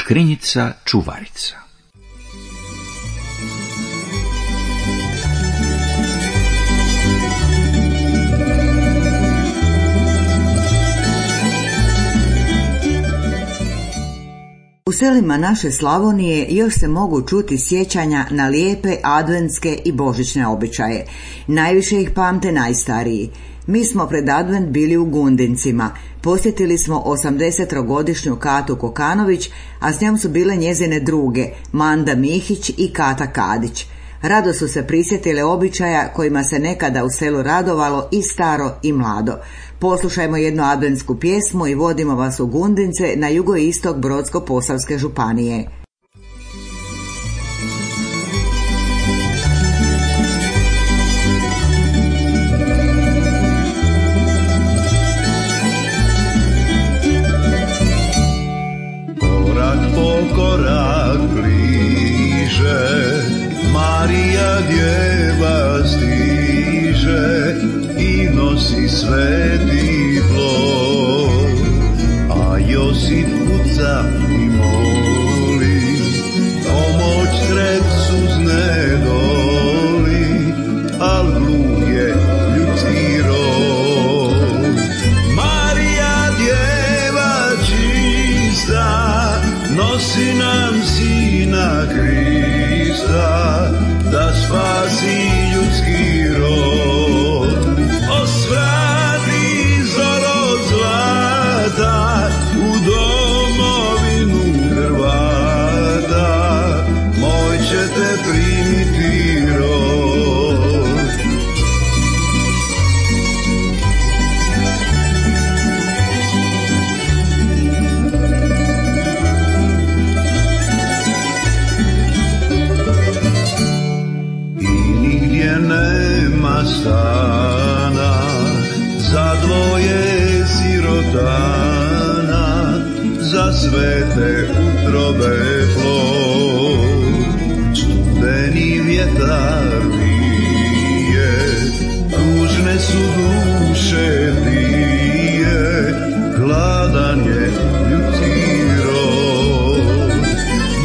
Škrinjica čuvarica. U selima naše Slavonije još se mogu čuti sjećanja na lijepe adventske i božićne običaje. Najviše ih pamte najstariji. Mi smo pred advent bili u Gundincima. Posjetili smo 80-godišnju Katu Kokanović, a s njom su bile njezine druge, Manda Mihić i Kata Kadić. Rado su se prisjetile običaja kojima se nekada u selu radovalo i staro i mlado. Poslušajmo jednu adventsku pjesmu i vodimo vas u Gundince na jugoistok Brodsko-posavske županije. Korak po korak bliže, Marija djeva stiže i nosi sveti plod, a Josip kuca i moli, pomoć sred suzne doli, al gluh je ljudski rod. Marija djeva čista, nosi nam sina Krista, da spasi ljudski rod. Osvrati zoro zlata u domovinu Hrvata, moj će te primiti rod. Nema stana za dvoje sirotana, za svete utrobe plod. Studeni vjetar vije, tužne su duše dvije, gladan je ljudski rod.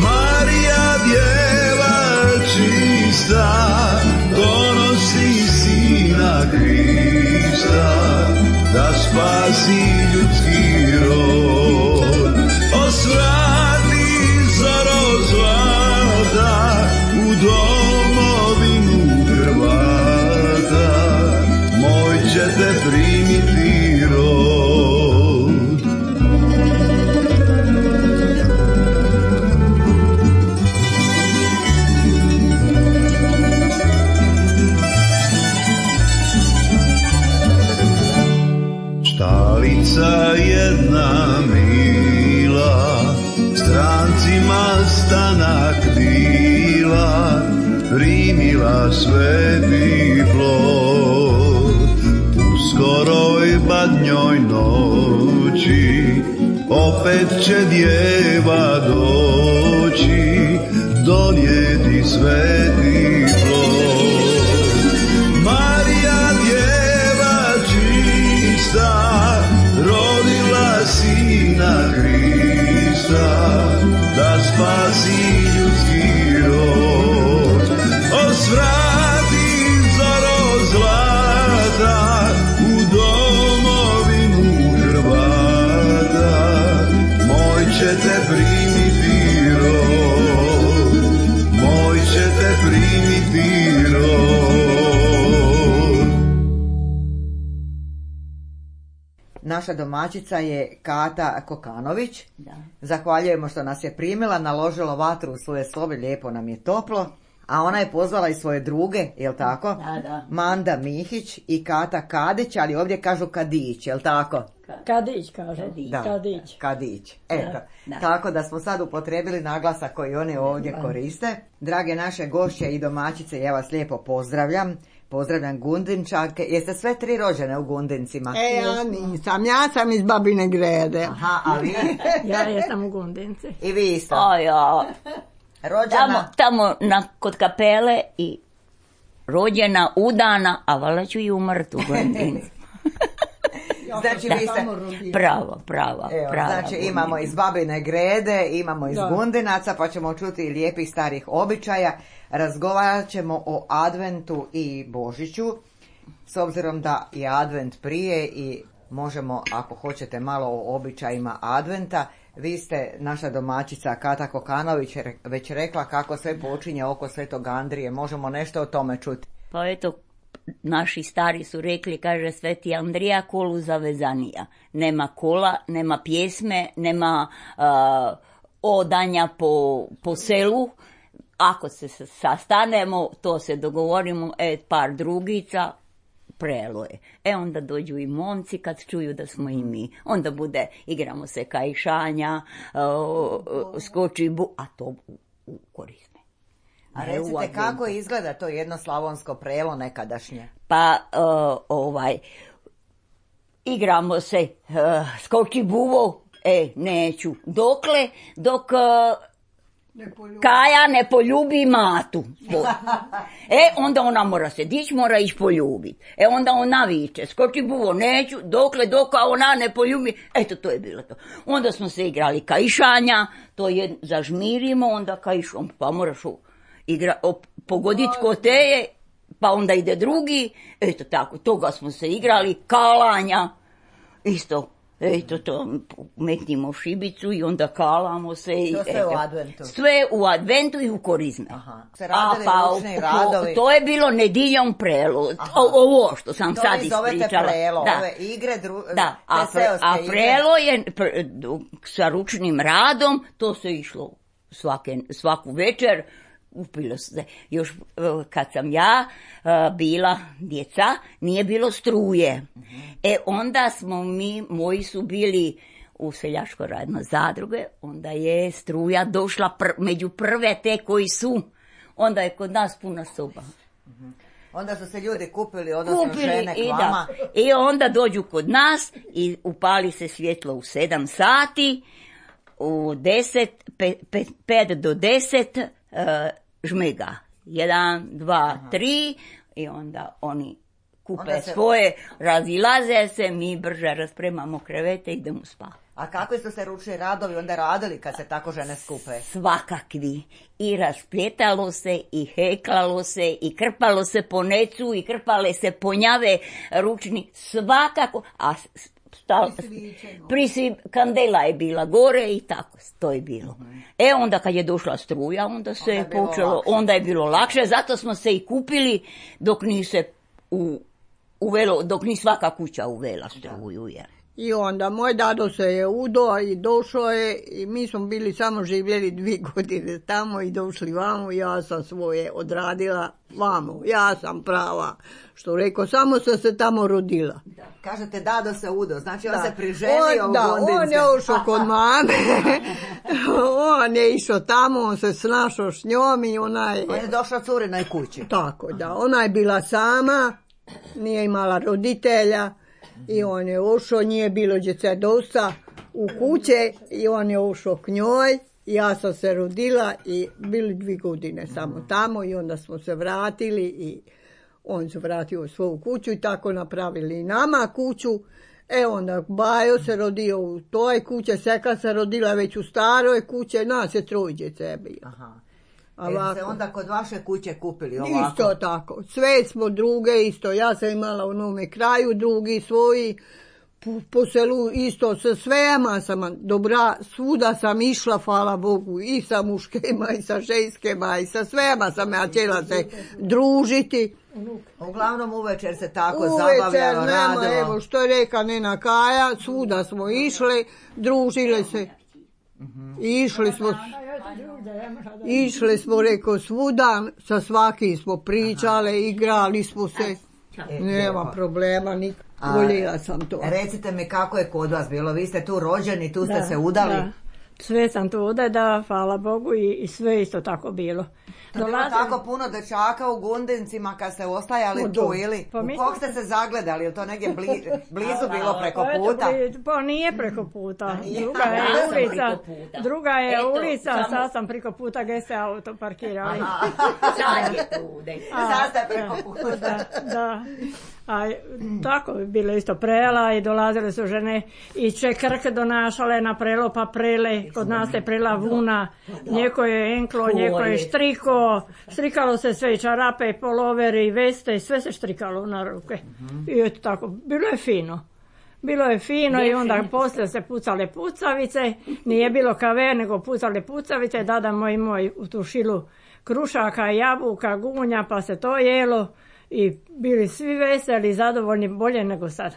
Marija djeva čista, donosi sina Krista, da spasi ljudski rod. Osvrati zoro zlata u domovinu Hrvata, moj će te primiti rod. Štalica jedna mila, strancima stanak bila, primila sveti plod. U skoroj badnjoj noći opet će djeva doći, donijeti sveti plod. Marija djeva čista, rodila sina Krista, da spasi ljudski rod. Osvrati zoro zlata u domovinu Hrvata, moj će te primiti rod, moj će te primiti rod. Naša domaćica je Kata Kokanović. Da. Zahvaljujemo što nas je primila, naložila vatru u svoje sobe, lijepo nam je toplo. A ona je pozvala i svoje druge, jel tako? Da. Manda Mihić i Kata Kadić, ali ovdje kažu Kadić, jel tako? Kadić kažu. Da, Kadić. Eto, Da. tako da smo sad upotrijebili naglasak koji oni ovdje koriste. Drage naše gošće i domaćice, ja vas lijepo pozdravljam. Pozdravljam Gundinčanke. Jeste sve tri rođene u Gundincima? Ja nisam, ja sam iz Babine Grede. Aha, a vi? Ja jesam u Gundinci. I vi isto? A ja, Rođena? tamo kod kapele i rođena, udana, a valjda ću i umrt u Gundinci. Znači, vi ste... Prava. Znači, imamo iz Babine Grede, imamo iz Gundinaca, pa ćemo čuti lijepih starih običaja. Razgovarat ćemo o Adventu i Božiću, s obzirom da je Advent prije i možemo, ako hoćete, malo o običajima Adventa. Vi ste, naša domaćica Kata Kokanović, već rekla kako sve počinje oko Svetog Andrije. Možemo nešto o tome čuti? Pa eto, naši stari su rekli, kaže Sveti Andrija, kolu zavezanija. Nema kola, nema pjesme, nema odanja po selu. Ako se sastanemo, to se dogovorimo, par drugica, prelo je. Onda dođu i momci kad čuju da smo i mi. Onda igramo se kajšanja, skoči a to u korisne. A recite, kako izgleda to jedno slavonsko prelo nekadašnje? Pa, igramo se, skoči buvo, neću. Dok Kaja ne poljubi matu. Onda ona mora se dići, mora ići poljubiti. Onda ona viče, skoči buvo, neću, dok ona ne poljubi. Eto, to je bilo to. Onda smo se igrali kajšanja, to je zažmirimo, onda kajšom, pa moraš pogoditi ko te je, pa onda ide drugi. Eto tako, toga smo se igrali, kalanja, isto. Eto to, metnimo šibicu i onda kalamo se. To sve u Adventu? Sve u Adventu i u korizme. Aha. Se radili ručni radovi? To je bilo nediljom prelo. Ovo što sam sad ispričala. To vi zovete prelo, ove igre, te seoske igre. A prelo je sa ručnim radom, to se išlo svaku večer. Upilo se. Još kad sam ja bila djeca, nije bilo struje. Onda smo moji su bili u seljaško radno zadruge, onda je struja došla među prve te koji su. Onda je kod nas puna soba. Onda su se ljudi kupili, odnosno žene k vama. I onda dođu kod nas i upali se svjetlo u 7 sati, u 5 do 10 žmega. 1, 2, 3 i onda oni kupe svoje, razilaze se, mi brže raspremamo krevete i idemo spavati. A kakvi su se ručni radovi onda radili kad se tako žene skupe? Svakakvi. I raspljetalo se, i heklalo se, i krpalo se po necu, i krpale se ponjave ručni, svakako. A kandela je bila gore i tako, to je bilo. Onda kad je došla struja, onda se je počelo, onda je bilo lakše, zato smo se i kupili dok ni se uvelo, dok ni svaka kuća uvela struju, jer. I onda moj dado se je udo i došao je i mi smo bili samo živjeli 2 godine tamo i došli vamo, ja sam svoje odradila vamo, ja sam prava, što rekao, samo sam se tamo rodila. Da. Kažete dado se udo, znači on se priženio u Gondince. On je ušao kod mame, on je išao tamo, on se snašao s njom i On je došao curinoj kući. Tako, da, ona je bila sama, nije imala roditelja. I on je ušao, nije bilo djece dosta u kuće i on je ušao k njoj. Ja sam se rodila i bili 2 godine samo tamo i onda smo se vratili i on se vratio u svoju kuću i tako napravili i nama kuću. Onda Bajo se rodio u toj kuće, Seka se rodila već u staroj kuće, nas je 3 djece bilo. Aha. Se onda kod vaše kuće kupili ovako? Isto tako, sve smo druge isto, ja sam imala u Novome Kraju, drugi svoji, po selu isto, sa svema sam dobra, svuda sam išla, hvala Bogu, i sa muškima, i sa ženskima, i sa svema sam ja htjela se družiti. Uglavnom uvečer se tako zabavljalo, radilo. Evo što je reka Nena Kaja, svuda smo išli, družile se. Išli smo, rekao, svuda, sa svakim smo pričale, igrali smo se, nema problema, voljela sam to. Recite mi kako je kod vas bilo, vi ste tu rođeni, tu ste se udali? Da. Sve sam tu udala, hvala Bogu i sve isto tako bilo. To bilo tako puno dečaka u Gundincima kad ste ostajali tu ili? U kog ste se zagledali, ili to negdje blizu bilo preko puta? Pa nije preko puta, druga je ulica, sad sam preko puta gdje se auto parkirali. Sad ste preko puta. Da. A tako bi bilo isto prela i dolazile su žene i čekrke donašale na prelo pa prele, kod nas je prela vuna, njeko je enklo, njeko je štriko, štrikalo se sve i čarape i polovere i veste i sve se štrikalo na ruke. I eto tako, bilo je fino. Bilo je fino i onda poslije se pucale pucavice, nije bilo kave nego pucale pucavice, dada moj u tu šilu krušaka, jabuka, gunja pa se to jelo. I bili svi veseli, zadovoljni, bolje nego sad.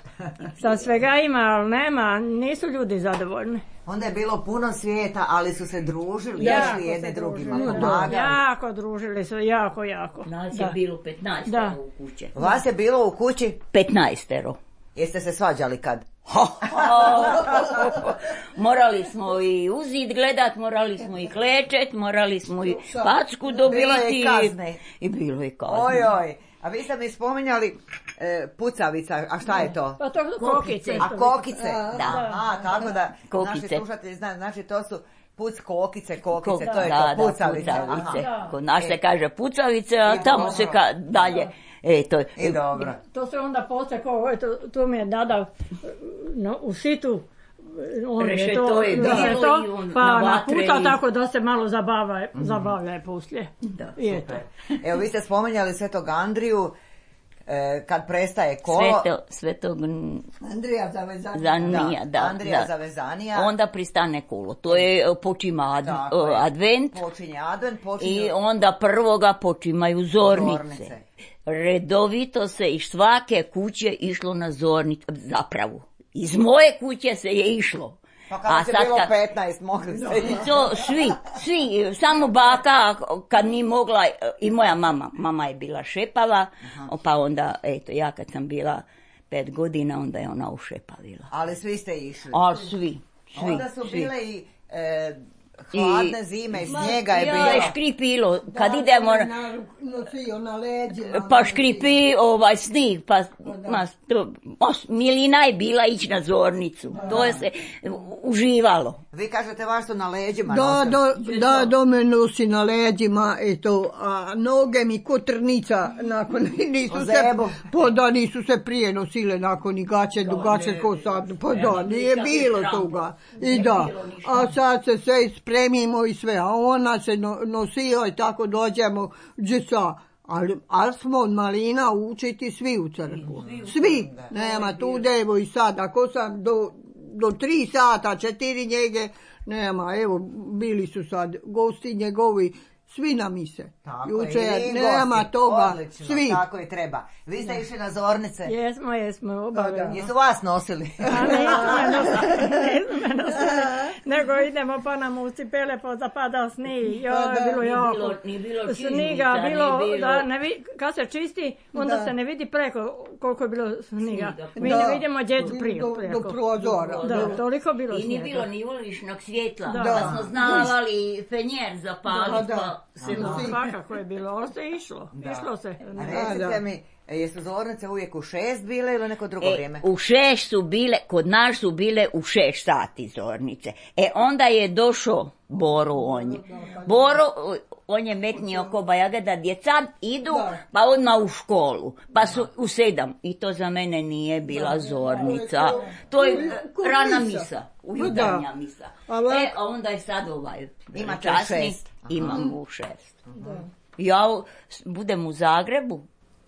Sad svega ima, ali nema, nisu ljudi zadovoljni. Onda je bilo puno svijeta, ali su se družili, išli jedne drugima, pomagali. Jako družili su, jako. Nas je bilo 15 u kući. Vas je bilo u kući? 15. Jeste se svađali kad? Morali smo i u zid gledat, morali smo i klečet, morali smo i packu dobiti. Bilo je i kazne. I bilo je kazne. Ojoj. A vi ste mi spominjali pucavica, a šta je to? Pa to kokice. A kokice? Da. A, tako da kokice. Naši slušatelji znaju, znači to su kokice, to je da, to, pucavice. Kod nas se kaže pucavice, a tamo se dalje. I dobro. To se onda poslije, to mi je dada u situ, Rešeto je bilo pa naputa tako da se malo zabavlja poslije. Da, super. Evo, vi ste spominjali Svetog Andriju, kad prestaje kolo. Svetog Andrija Zavezanija. Andrija Zavezanija. Onda pristane kolo. To je počima advent. Počinje advent. I onda prvoga počimaju zornice. Redovito se iz svake kuće išlo na zornicu. Zapravo, iz moje kuće se je išlo. Pa kada se bilo 15, mogli ste svi, samo baka kad nije mogla, i moja mama je bila šepava, pa onda, ja kad sam bila 5 godina, onda je ona ušepavila. Ali svi ste išli? Ali svi. Onda su bile i hladne zime, snijega je bilo. Ja, škripilo, kad idemo... Nosio na leđima. Pa škripi snijeg, pa milina je bila ići na zornicu. To je se uživalo. Vi kažete vas su na leđima nosili? Da, do me nosi na leđima, a noge mi ko trnica, nakon nisu se prije nosile nakon i gaće, dugače ko sad, pa da, nije bilo toga. I da, a sad se sve spremimo i sve, a ona se nosio i tako dođemo gdje sa, ali smo od malina učiti svi u crkvu. Svi, nema tu devo i sad, ako sam do 3 sata, 4 njege, nema, evo, bili su sad gosti njegovi, svi na mise. Jučer, nema toga, odlično, svi. Tako i treba. Vi ste išli na zornice? Jesmo, obavezno. Jesu vas nosili? Nego idemo pa nam u cipele pa zapada snijeg. Nije bilo sniga, kad se čisti, onda se ne vidi preko koliko je bilo sniga. Mi ne vidimo djecu preko. Do prozora. Da, toliko bilo snijega. I nije bilo ni uličnog svjetla. Pa smo znavali fenjer zapaliti, pa se svakako je bilo, ali se išlo se. Recite mi, jesu zornice uvijek u 6 bile ili neko drugo vrijeme? U 6 su bile, kod nas su bile u 6 sati zornice. Onda je došao Boro on je metnio ko bajaga da djeca idu, pa odmah u školu, pa su u 7. I to za mene nije bila zornica. To je rana misa, ujutarnja misa. A onda je sad imate časni, 6. Imam u 6. Ja budem u Zagrebu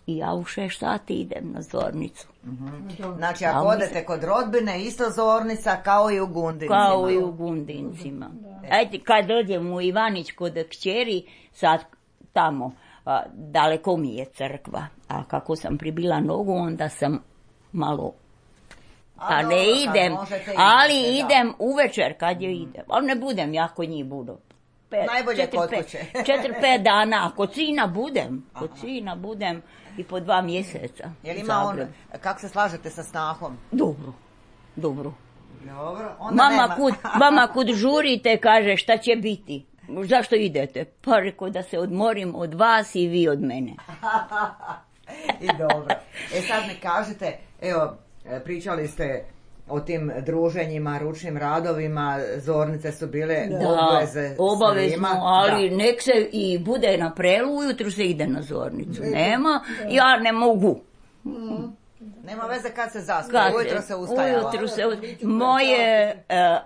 i ja u 6 sati idem na zornicu. Znači, ako odete kod rodbine, isto zornica kao i u Gundincima. Ajde, kad dođem u Ivanić kod kćeri, sad tamo, daleko mi je crkva. A kako sam pribila nogu, onda sam malo... Pa ne idem, ali idem uvečer kad je idem. Ali ne budem, ja kod njih budu. Najbolje kod kuće. 4-5 dana, kod sina budem i po 2 mjeseca. Jel ima on, kako se slažete sa snahom? Dobro. Mama kud žurite, kaže šta će biti. Zašto idete? Pa rekao da se odmorim od vas i vi od mene. I dobro. Sad mi kažete, evo, pričali ste o tim druženjima, ručnim radovima, zornice su bile obavezno, ali nek se i bude na prelu, ujutru se ide na zornicu. Nema, ja ne mogu. Nema veze kad se zaspe, ujutro se ustajala.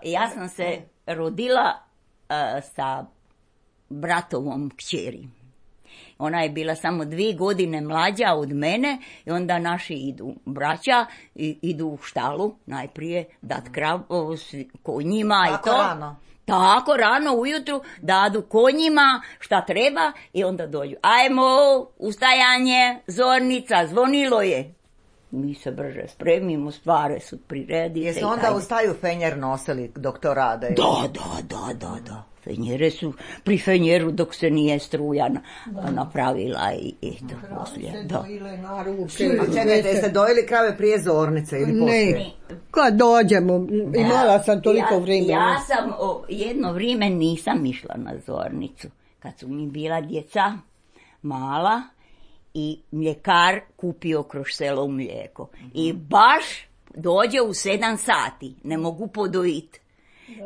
Ja sam se rodila sa bratovom kćeri. Ona je bila samo 2 godine mlađa od mene i onda naši idu braća, idu u štalu najprije dat kravu konjima i to. Rano. Tako rano ujutru dadu konjima šta treba i onda dođu. Ajmo, ustajanje, zornica, zvonilo je. Mi se brže spremimo, stvari su priredite. Jesu onda ustaju fenjer nosili dok to rade? Da. Fenjere su pri fenjeru dok se nije struja napravila i eto, poslije. Da. A čekajte, jeste dojeli krave prije zornice ili poslije? Ne, kad dođemo, imala sam toliko vremena. Ja sam jedno vrijeme nisam išla na zornicu. Kad su mi bila djeca mala i mljekar kupio kroz selo mlijeko. I baš dođe u 7 sati, ne mogu podojiti.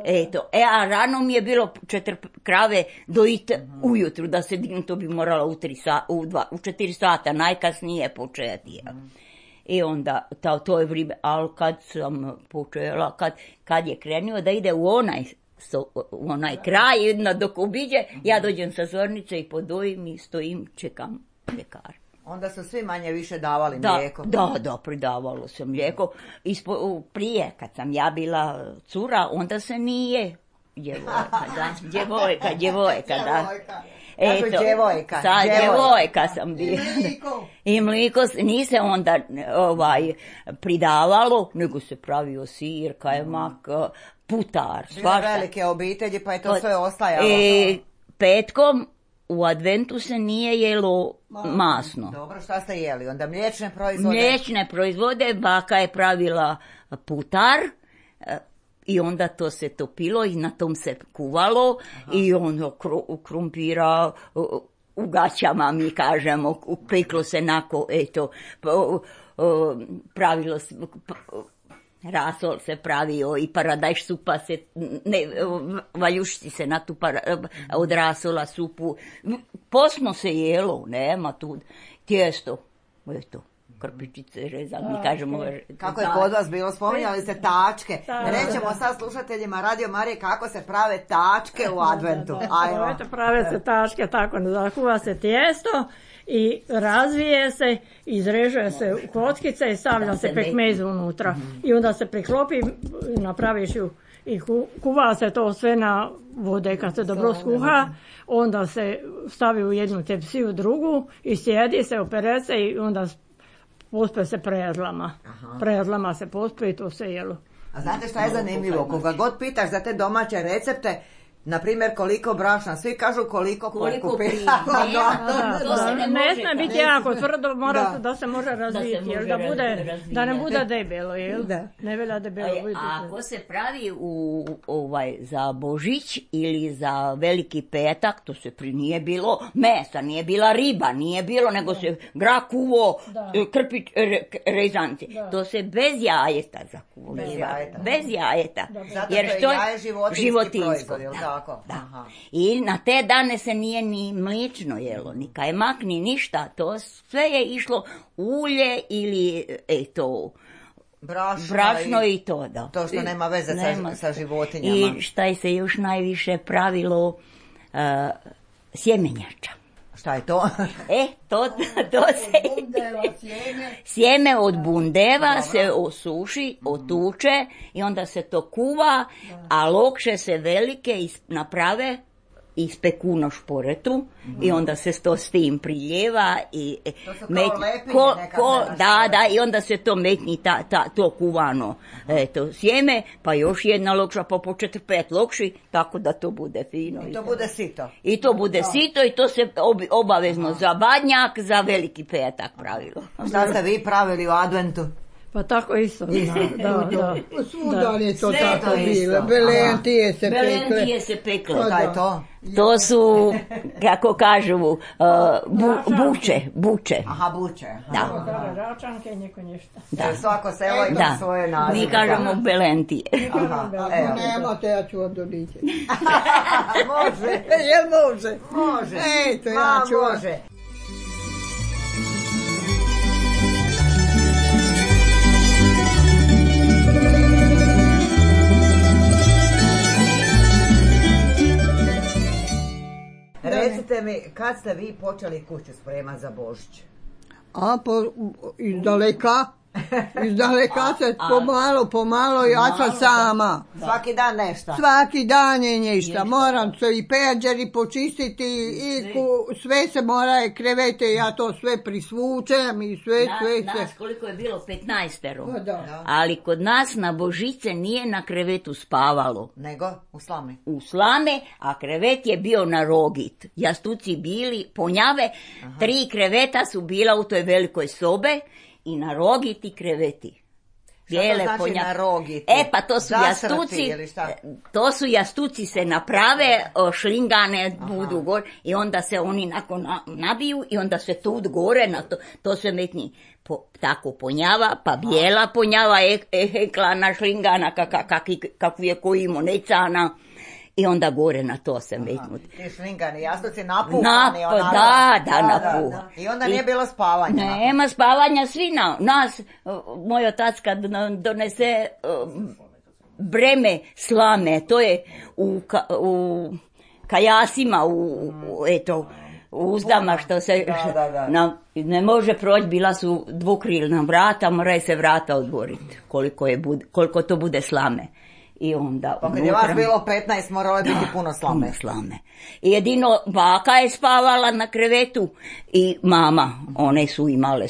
Eto, a rano mi je bilo 4 krave dojiti ujutru, da se dignu, to bi morala u 4 sata, najkasnije početi. I onda, to je vrijeme, ali kad sam počela, kad je krenuo da ide u onaj kraj, dok obiđe, ja dođem sa zornice i podojim i stojim, čekam mljekar. Onda su svi manje više davali mlijeko. Da, pridavalo se mlijeko. Prije, kad sam ja bila cura, onda se nije djevojka, da. Eto, djevojka sam bila. I mliko nije se onda pridavalo, nego se pravio sir, kajmak, putar, svašta. Bile velike obitelji, pa je to sve ostajalo. Petkom u adventu se nije jelo masno. Dobro, šta ste jeli? Onda mliječne proizvode? Mliječne proizvode, baka je pravila putar i onda to se topilo i na tom se kuvalo. Aha. I ono krumpira u gaćama, mi kažemo, peklo se nako, eto, pravilo se... Rasol se pravio i paradajš supa se, valjušci se na tu od rasola supu. Posno se jelo, nema tu tijesto, eto, krpičice rezali, mi kažemo. Kako je kod vas bilo, spominjali ste tačke. Rećemo sad slušateljima Radio Marije kako se prave tačke u adventu. Ajmo. Prave se tačke tako, zakuva se tijesto i razvije se, izrežuje se u kockice i stavlja se pekmez unutra. I onda se priklopi, napraviš ju i kuva se to sve na vode. Kad se dobro skuha, onda se stavi u jednu tepsiju, drugu i sjedi se, opere se i onda pospe se prezlama. Prezlama se pospe i to se jelo. A znate šta je zanimljivo? Koga god pitaš za te domaće recepte, na primjer, koliko brašna, svi kažu koliko pokupi. Ne smije biti jako tvrdo, mora da se može razviti, da ne bude debelo, jel? Ne velja debelo. Ako se pravi za Božić ili za Veliki petak, to se nije bilo mesa, nije bila riba, nije bilo, nego se grah kuvo, krpić, rezanci. To se bez jajeta zakuvo. Bez jajeta. Jer što je životinjsko. Da. I na te dane se nije ni mlično jelo, ni kajmak, ni ništa. To sve je išlo ulje ili brašno i to. Da. To što nema veze sa životinjama. I šta je se još najviše sjemenjača. Šta je to? To se... Sjeme od bundeva se osuši, otuče i onda se to kuva, a lokše se velike naprave i speku na šporetu i onda se to s tim priljeva i i onda se to metni to kuvano sjeme, pa još jedna lokša, pa po 4-5 lokši, tako da to bude fino. I to bude sito. I to bude sito i to se obavezno za badnjak, za Veliki petak pravilo. Šta ste vi pravili u adventu? Pa tako isto. Svuda je to tako bilo. Belentije se pekle. Šta je to? To su, kako kažu, buče. Aha, buče. Da. Račanke i neko nešto. Svako selo ima svoje nazive. Mi kažemo belentije. Ako nemate, ja ću vam doniti. Može. Jel može? Može. Eto, ja ću vam. Može. recite mi, kad ste vi počeli kuću spremati za Božić? Izdaleka. Izdaleka se pomalo, ja sam sama. Svaki dan nešto? Svaki dan je nešto. Moram se i peđeri počistiti i sve se mora krevete, ja to sve prisvučem i sve. Nas koliko je bilo 15. Ali kod nas na Božice nije na krevetu spavalo. Nego u slame? U slame, a krevet je bio na rogit. Jastuci bili ponjave, 3 kreveta su bila u toj velikoj sobe i na rogiti kreveti. Bijele, šta to znači na rogiti? Pa to su jastuci, to su jastuci se naprave, šlingane budu gore i onda se oni nakon nabiju i onda se tu gore na to se metni tako ponjava, pa bijela ponjava, eklana šlingana, kakvu je koji monecana. I onda gore na to se metnuti. Ti šlingani jastuci napuhani. Napuhani. I onda nije bilo spavanja. Nema spavanja, svi nas, moj otac kad donese breme slame, to je u kajasima, u uzdama što se ne može proći, bila su dvokrilna vrata, moraju se vrata otvoriti koliko to bude slame. I onda pa kad je vas bilo 15 moralo je biti puno slame. I jedino baka je spavala na krevetu i mama, one su imale,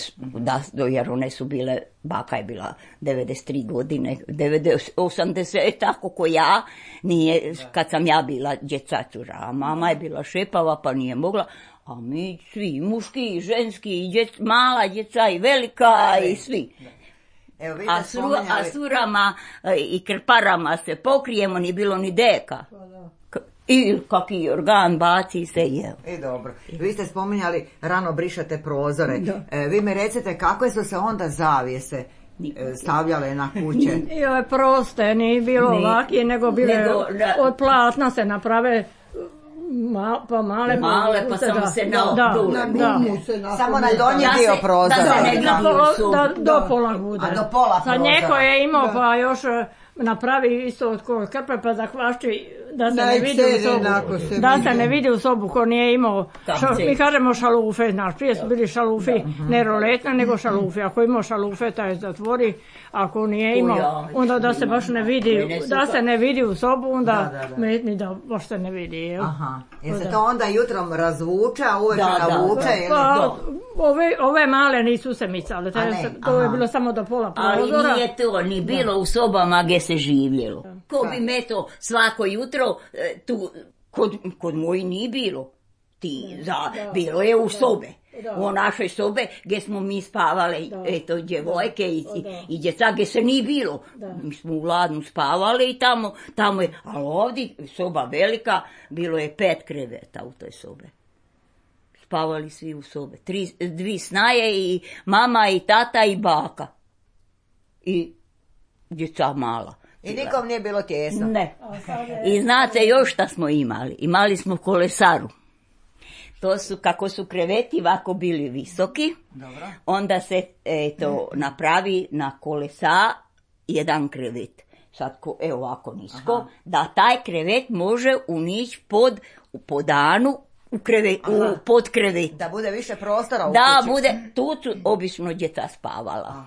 jer one su bile, baka je bila 93 godine, 80, tako ko ja, nije, kad sam ja bila djecacura, a mama je bila šepava pa nije mogla, a mi svi, muški i ženski, i mala djeca i velika i svi. Evo, a surama i krparama se pokrijemo, ni bilo ni deka. I kaki organ baci se je. I dobro. Vi ste spominjali rano brišate prozore. Vi mi recite kakve su se onda zavjese stavljale na kuće? Proste, nije bilo ovakije, nego bile od platna se naprave. Pa male pa samo se na gumu se napravi. Samo na donji dio prozora. Do pola bude. A do pola prozora. Sad neko je imao pa još napravi isto od koje krpe pa zakvašči da se ne vidi u sobu. Da se ne vidi u sobu ko nije imao. Mi kažemo šalufe, znaš, prije su bili šalufi, ne roletne nego šalufi. Ako imao šalufe taj zatvori, ako nije imao, onda da se baš ne vidi, da se ne vidi u sobu, onda metni da baš se ne vidi. Aha, jer se to onda jutrom razvuče, a uvek navuče? Ove male nisu se micale, to je bilo samo do pola prozora. Ali nije to ni bilo u sobama gdje se živjelo. Ko bi me to svako jutro, tu, kod moji nije bilo. Bilo je u sobe. U našoj sobe gdje smo mi spavali, eto, djevojke i djeca, gdje se nije bilo. Mi smo u Ladnu spavali i tamo je, ali ovdje soba velika, bilo je 5 kreveta u toj sobe. Spavali svi u sobe. 2 snaje i mama i tata i baka. I djeca mala. I nikom nije bilo tjesno? Ne. I znate još šta smo imali? Imali smo kolesaru. To su, kako su kreveti ovako bili visoki, dobro. Onda se napravi na kolesa jedan krevet. Sad ovako nisko, da taj krevet može unići pod podanu pod krevet. Da bude više prostora u kući. Da, bude, tu su obično djeca spavala.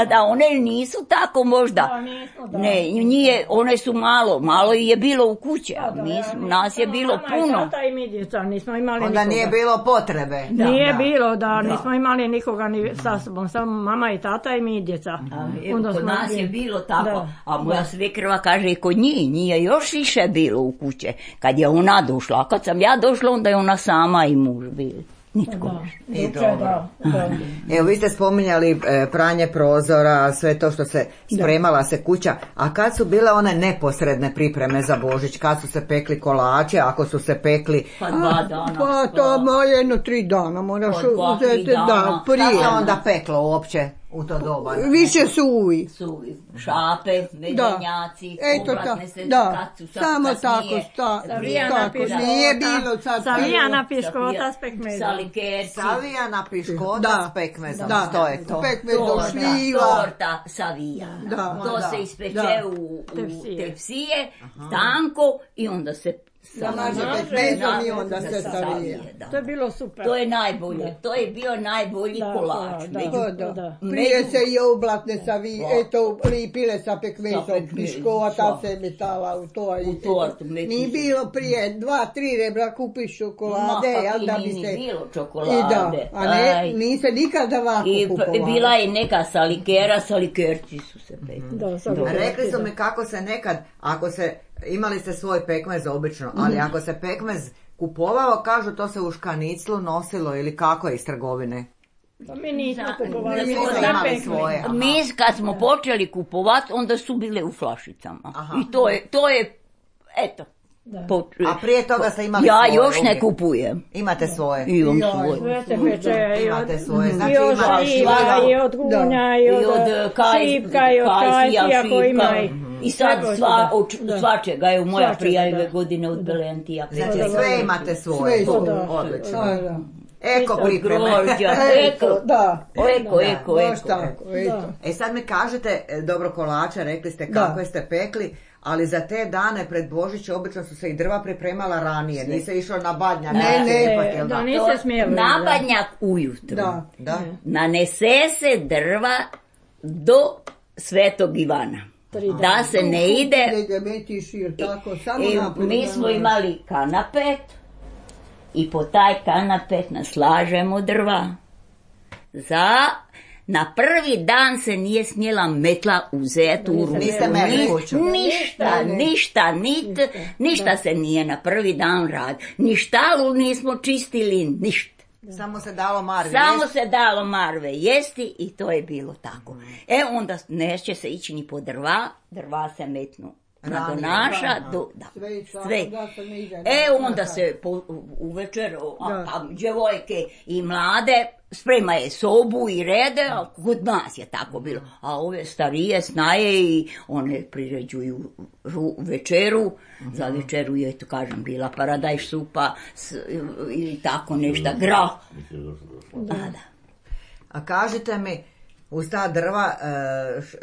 Da, one nisu tako možda. Ne, nije, one su malo je bilo u kući, a nas je bilo puno. Mama i tata i mi djeca, nismo imali onda nikoga. Nije bilo potrebe. Nije bilo, nismo imali nikoga ni sa sobom, samo mama i tata i mi djeca. Kod nas je bilo tako, a moja svekrva kaže kod njih je još više bilo u kuće. Kad je ona došla, a kad sam ja došla, onda je ona sama i muž bili. Nitko. I dobro. Evo, vi ste spominjali pranje prozora, sve to što se spremala se kuća, a kad su bile one neposredne pripreme za Božić, kad su se pekli kolače, ako su se pekli? Pa 2 dana. Pa to jedno 3 dana moraš uzeti, da, prije. Šta se onda peklo uopće u to doba? Više suvi. Šape, medenjaci, obratne se kacu, samo tako, nije bilo sad. Savijana piškota s pekmezom. Savijana piškota s pekmezom, što je to? Torta savijana. To se ispeče u tepsije, tanko i onda se Zamažete pekmezom i onda se savije. To je bilo super. To je najbolje, to je bio najbolji kolač. Prije se i oblatne savije, eto, lipile sa pekmezom, piškota se metala u to. Nije bilo prije 2-3 rebra kupiš čokolade, jel da bi se... Nije bilo čokolade. A ne, nije se nikada ovako kupovalo. I bila je neka salikera, salikerci su se pekli. Rekli su mi kako se nekad, ako se... Imali ste svoj pekmez obično, ali ako se pekmez kupovao, kažu to se u škaniclu nosilo ili kako je iz trgovine? Pa mi nismo kupovali, mi smo imali svoje. Mi kad smo počeli kupovati, onda su bile u flašicama. Aha. I to je, eto. A prije toga ste imali svoje? Ja još ne kupujem. Imate svoje? Imam svoje. Sve se peče imate svoje. Znači, i od šljiva, i od gunja, i od šipka, i od kajsija koji ima. I sad svačega je u moja prijave godine od Belentija. Znači sve imate svoje. Odlično. Eko pripreme. Eko. E sad mi kažete, dobro kolača, rekli ste kako ste pekli, ali za te dane pred Božić obično su se i drva pripremala ranije, nisi išao na badnjak. Da, niste smjeli. Na badnjak ujutru. Nanese se drva do Svetog Ivana. Da se ne ide. Mi smo imali kanapet i po taj kanapet naslažemo drva. Na prvi dan se nije smjela metla uzeti u ruku. Ništa se nije na prvi dan radilo. Ni štalu nismo čistili, ništa. Samo se dalo marve jesti i to je bilo tako. Onda neće se ići ni po drva se metnu. Naša, sve. Onda se uvečer, djevojke i mlade spremaje sobu i rede, a kod nas je tako bilo. A ove starije snaje i one priređuju večeru. Za večeru je, to kažem, bila paradajz supa ili tako nešto, grah. A kažite mi, uz ta drva,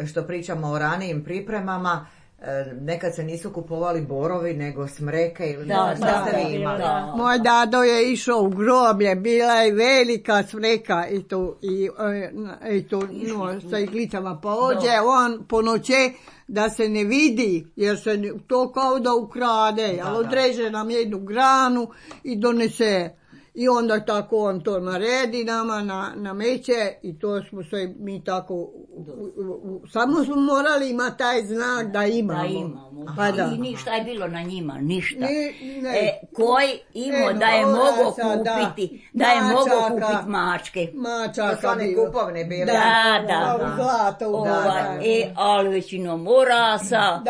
što pričamo o ranijim pripremama, nekad se nisu kupovali borovi nego smreke ili šta ste vi imali? Moj dado je išao u groblje, bila je velika smreka i to sa iglicama, pa ođe on po noće da se ne vidi, jer se to kao da ukrade, ali odreže nam jednu granu i donese. I onda tako on to naredi nama na meće i to smo se mi tako, samo smo morali imati taj znak da imamo. I ništa je bilo na njima, ništa. Koji imao da je mogo kupiti, da je mogo kupiti mačke. Mačaka bilo. Kupovne bile. Da. Ali većinom orasa,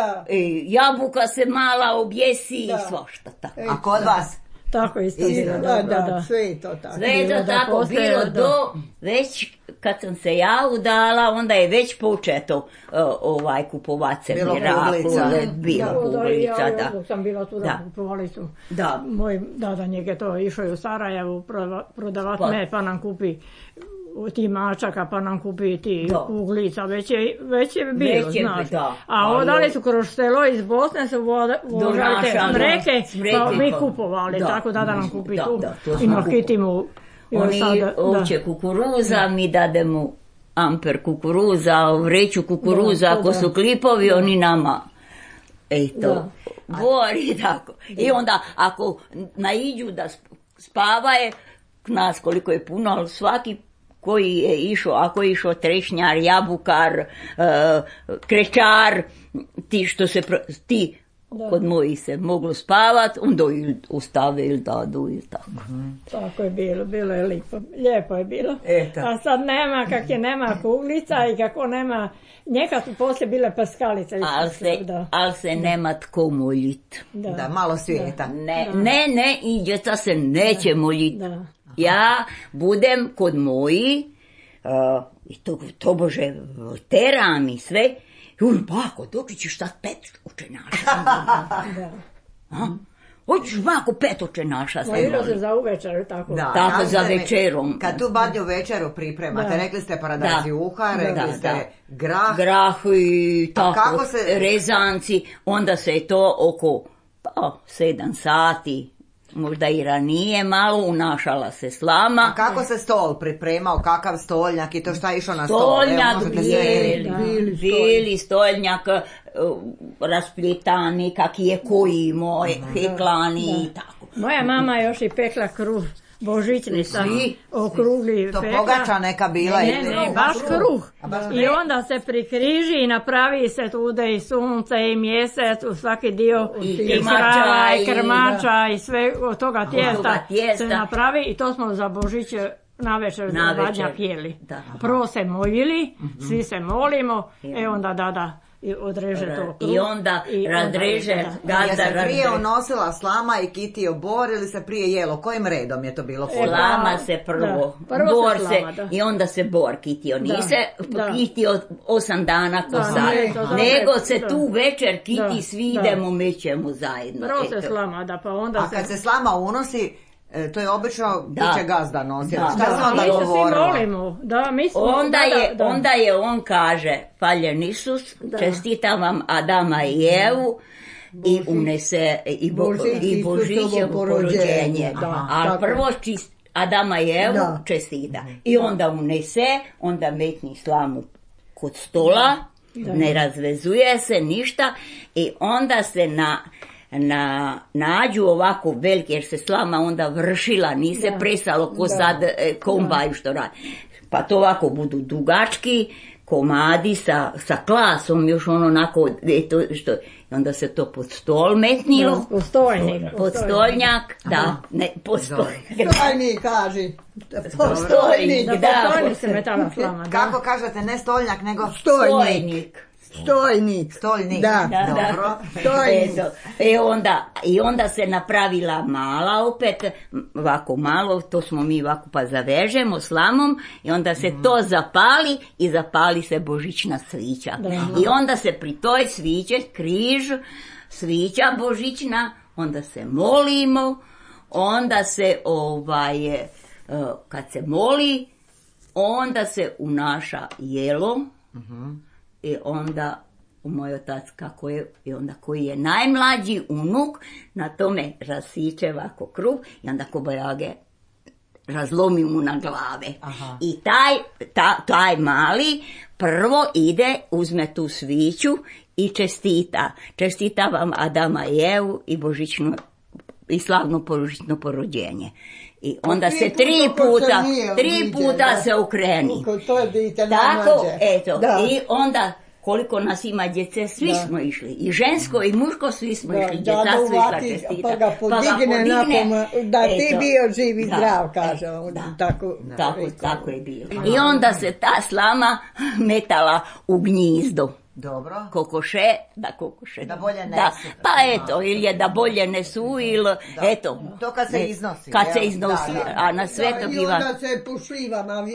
jabuka se mala objesi i svašta tako. A kod vas? Tako isto bilo, da. Sve je to tako. Sve je to tako bilo već kad sam se ja udala, onda je već početo kupovat se miraklu. Bilo kuglica, da. Ja sam bila tu da kupovali su. Moj dada njeg je to išao u Sarajevu prodavat med, pa nam kupi ti mačaka, pa nam kupi ti kuglica, već je bilo, znaš. A odali su kroz selo iz Bosne, su vožali te smreke, pa mi kupovali, tako da nam kupi tu. I nakitimo. Oni uće kukuruza, mi dademo amper kukuruza, vreću kukuruza, ako su klipovi, oni nama. Bori tako. I onda, ako naiđu da spavaje, nas koliko je puno, ali svaki koji je išao, ako je išao trešnjar, jabukar, krečar, kod mojih se moglo spavat, onda ostave ili dadu ili tako. Tako je bilo je lijepo je bilo. A sad nema, kak je nema kuglica i kako nema, nekad su poslije bile paskalice. Ali se nema tko moljit. Da, malo svijeta. Ne, i djeca se neće moljit. Ja budem kod moji, i to bože, teram i sve, bako, dok ćeš sad 5 učenaša? Hoćeš bako 5 učenaša? Mojilo se za uvečer, tako? Tako, za večerom. Kad tu badnju večeru pripremate, rekli ste paradajz juha, rekli ste grah. Grah i tako, rezanci, onda se to oko Pa 7 sati, možda i ranije, malo unašala se slama. A kako se stol pripremao, kakav stoljnjak i to šta je išlo na stol? Stoljnjak, bili stoljnjak, raspljetani, kak je koji moj, heklani i tako. Moja mama još i pekla kruh. Božićni sam okrugli to pekla. pogača neka bila. Ne, baš kruh. I onda se prikriži i napravi se tude i sunce i mjesec u svaki dio i krava i krmača i sve od toga tijesta se napravi i to smo za Božić navečer za vadnja pjeli. Prvo se molili, svi se molimo, onda da. I odreže to kruh. I onda razreže gazda. Je se prije unosila slama i kitio bor ili se prije jelo? Kojim redom je to bilo? Slama se prvo bor se, i onda se bor kitio. Nije se kitio 8 dana ko sad. Nego se tu večer kiti, svi idemo, mećemo zajedno. Prvo se slama, pa onda a kad se slama unosi, to je obično biće gazda nosila. Šta se onda govorilo? Onda je on kaže, Hvaljen Isus, čestitam vam Adama i Evu i unese i Božićevo porođenje. Ali prvo Adama i Evu čestita. I onda unese, onda metni slamu kod stola, ne razvezuje se ništa i onda se nađu ovako velike, jer se slama onda vršila, nije se presalo ko sad kombaju što radi. Pa to ovako budu dugački komadi sa klasom, još ono onako, što, i onda se to pod stol metnilo. Pod stoljnjak, Stoljnik kaže. Postojnik, se metala slama. Kako kažete, ne stoljnjak, nego stojnik. Stoljnik. Dobro. I onda se napravila mala opet, ovako malo, to smo mi ovako pa zavežemo slamom i onda se to zapali i zapali se božićna svića. I onda se pri toj sviće, križ, svića božićna, onda se molimo, onda se kad se moli, onda se unaša jelo, i onda moj otac kako je, i onda koji je najmlađi unuk, na tome rasiče ovako kruh i onda kobajage razlomi mu na glave. I taj mali prvo ide, uzme tu sviću i čestita vam Adama i Evu i božićno i slavno božićno porođenje. I onda se tri puta se okreni. Tako, eto. I onda koliko nas ima djece, svi smo išli. I žensko i muško, svi smo išli. Djeca su išla čestita. Pa ga podigne da ti bio živ i zdrav, kaže. Tako je bilo. I onda se ta slama metala u gnjizdo. Dobro. Kokoše. Da bolje nesu. Pa eto, ili je da bolje nesu, ili eto. To kad se iznosi. A na Svetog Ivana. I onda se po šljivama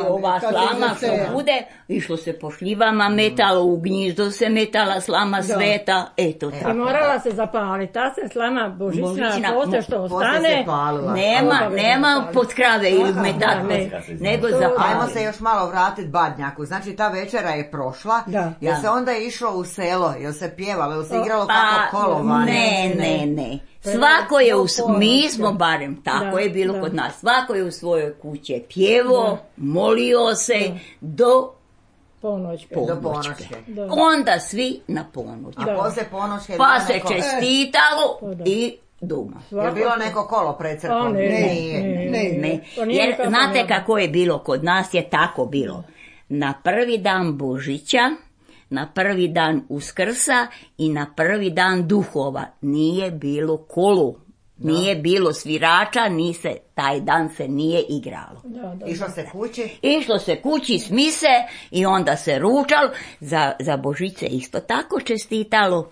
ova slama što bude, išlo se po šljivama, metalo u gnjizdo se metala slama sveta, eto tako. I morala se zapaliti, ta se slama božićna, poslije što ostane. Nema pod krave ili metate, nego zapaliti. Ajmo se još malo vratiti Badnjaku, znači ta večera je prošla. Jel se onda išlo u selo, jel se pjevalo, jel se igralo kako kolovane? Ne. Svako je mi smo barem, tako je bilo kod nas, svako je u svojoj kući pjevo, molio se do ponoćke. Onda svi na ponoć. A poslije ponoćke pa se čestitalo i doma. Je bilo neko kolo pred crkvom? Ne. Jer znate kako je bilo kod nas, je tako bilo. Na prvi dan Božića, na prvi dan Uskrsa i na prvi dan Duhova nije bilo kolo, nije bilo svirača, taj dan se nije igralo. Išlo se kući s mise i onda se ručalo, za Božić se isto tako čestitalo,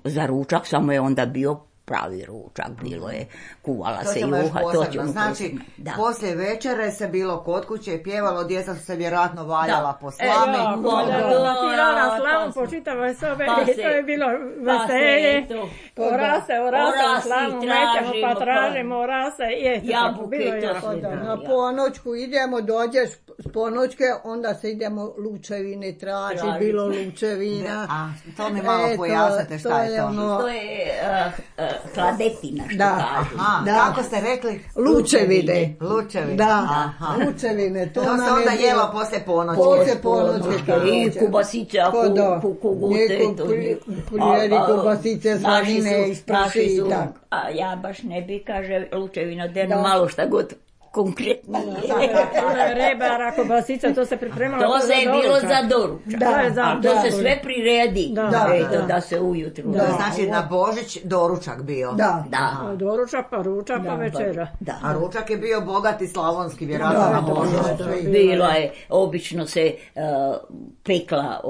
za ručak samo je onda bio pravi ručak, bilo je, kuvala se ćemo još juha, posebno. to ćemo Znači, posebno. Da. poslije večere se bilo kod kuće, pjevalo, djeca su se vjerojatno valjala po slami. Latirana slavu po čitavoj sobe i to je bilo veselje. Orase u slavu mećemo pa tražimo orase i jabuke, na ponoćku idemo, dođeš s ponoćke, onda se idemo lučevine traži, bilo lučevina. A, to mi malo pojasnite šta je to. To je hladetina što kažu. Kako ste rekli? Lučevine. Da, Aha. lučevine. To se onda jelo poslije ponoći. Poslije ponoći. I kubasice, kugute. Prijeri kubasice, slanine iz prši i tako. A ja baš ne bi, kaže, lučevina, malo šta god konkretno. Rebara, kobasica, to se pripremalo. To se je bilo za doručak. A to se sve priredi. Da se ujutru. Znači na Božić doručak bio. Da. Doručak, pa ručak, pa večera. A ručak je bio bogati slavonski, vjerojatno na Božić. Bilo je, obično se pekla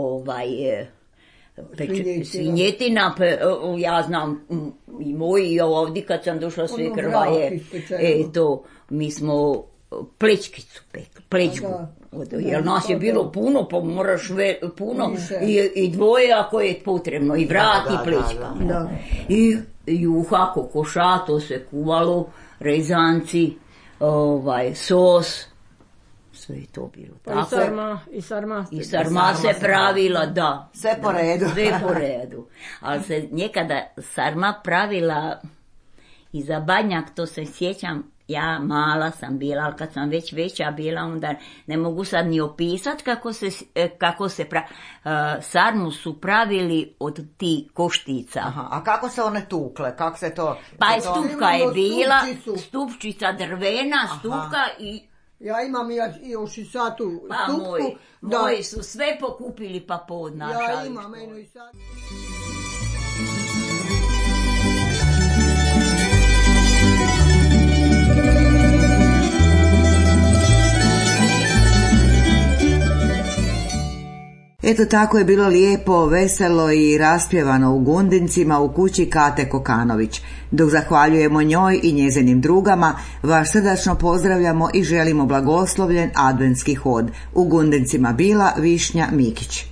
svinjetina, ja znam i moji i ovdje kad sam došla svekrva je to, mi smo plečkicu pekli, plečku, jer nas je bilo puno, pa moraš puno i dvoje ako je potrebno, i vrat i plečka. I juha, kokoša, to se kuvalo, rezanci, sos, sve je to bilo. Pa i sarma se pravila, da. Sve po redu. Sve po redu. Ali se nekada sarma pravila i za Badnjak, to se sjećam, ja mala sam bila, ali kad sam već veća bila, onda ne mogu sad ni opisati kako se sarmu su pravili od tih koštica. Aha, a kako se one tukle? Kako se to... Pa stupka je bila, stupčica drvena, stupka i... Ja imam još i sad tu stupku. Moji su sve pokupili pa podnašali. Ja imam eno i sad. Eto tako je bilo lijepo, veselo i raspjevano u Gundincima u kući Kate Kokanović. Dok zahvaljujemo njoj i njezinim drugama, vas srdačno pozdravljamo i želimo blagoslovljen adventski hod. U Gundincima bila Višnja Mikić.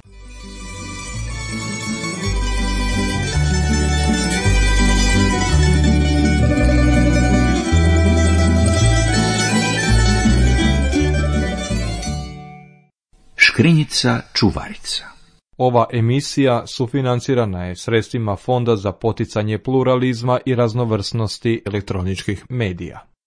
Škrinjica čuvarica. Ova emisija sufinancirana je sredstvima Fonda za poticanje pluralizma i raznovrsnosti elektroničkih medija.